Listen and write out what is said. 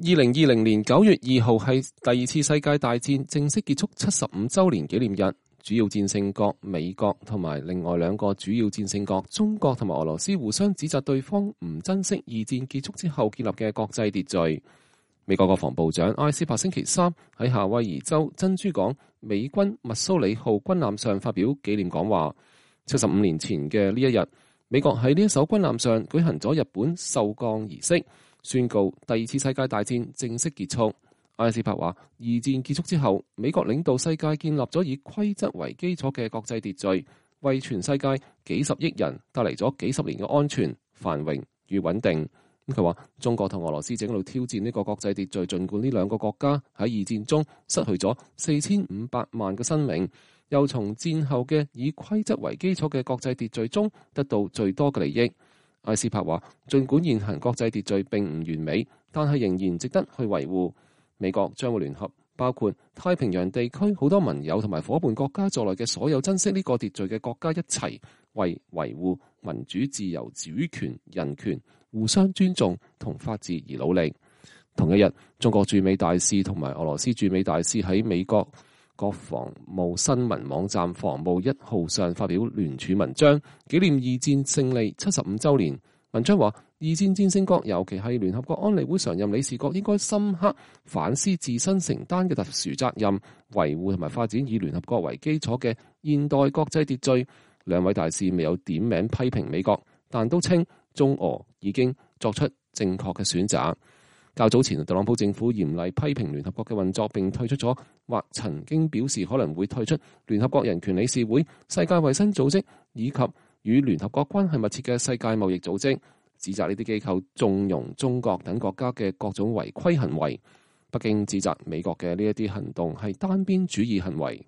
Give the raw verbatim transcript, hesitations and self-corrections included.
二零二零年九月二號係第二次世界大戰正式結束七十五週年紀念日。主要戰勝國美國同埋另外兩個主要戰勝國中國同埋俄羅斯互相指責對方唔珍惜二戰結束之後建立嘅國際秩序。美國國防部長埃斯珀星期三喺夏威夷州珍珠港美軍密蘇里號軍艦上發表紀念講話。七十五年前嘅呢一日，美國喺呢一艘軍艦上舉行咗日本授鋼儀式，宣告第二次世界大戰正式結束。埃斯珀話：二戰結束之後，美國領導世界建立咗以規則為基礎嘅國際秩序，為全世界幾十億人帶嚟咗幾十年嘅安全、繁榮與穩定。佢話：中國同俄羅斯正喺度挑戰呢個國際秩序，儘管呢兩個國家喺二戰中失去咗四千五百萬嘅生命，又從戰後嘅以規則為基礎嘅國際秩序中得到最多嘅利益。埃斯珀話：儘管現行國際秩序並唔完美，但係仍然值得去維護。美國將會聯合包括太平洋地區好多盟友同埋夥伴國家在內嘅所有珍惜呢個秩序嘅國家一齊為維護民主、自由、主權、人權、互相尊重同法治而努力。同一日，中國駐美大使同埋俄羅斯駐美大使喺美國國防部新聞網站防務一號上發表聯署文章，紀念二戰勝利七十五週年。文章話：二戰戰勝國，尤其係聯合國安理會常任理事國，應該深刻反思自身承擔嘅特殊責任，維護同埋發展以聯合國為基礎嘅現代國際秩序。兩位大使未有點名批評美國，但都稱中俄已經作出正確嘅選擇。較早前，特朗普政府嚴厲批評聯合國嘅運作，並退出咗或曾經表示可能會退出聯合國人權理事會、世界衛生組織以及與聯合國關係密切嘅世界貿易組織，指責呢啲機構縱容中國等國家嘅各種違規行為。北京指責美國嘅呢一啲行動係單邊主義行為。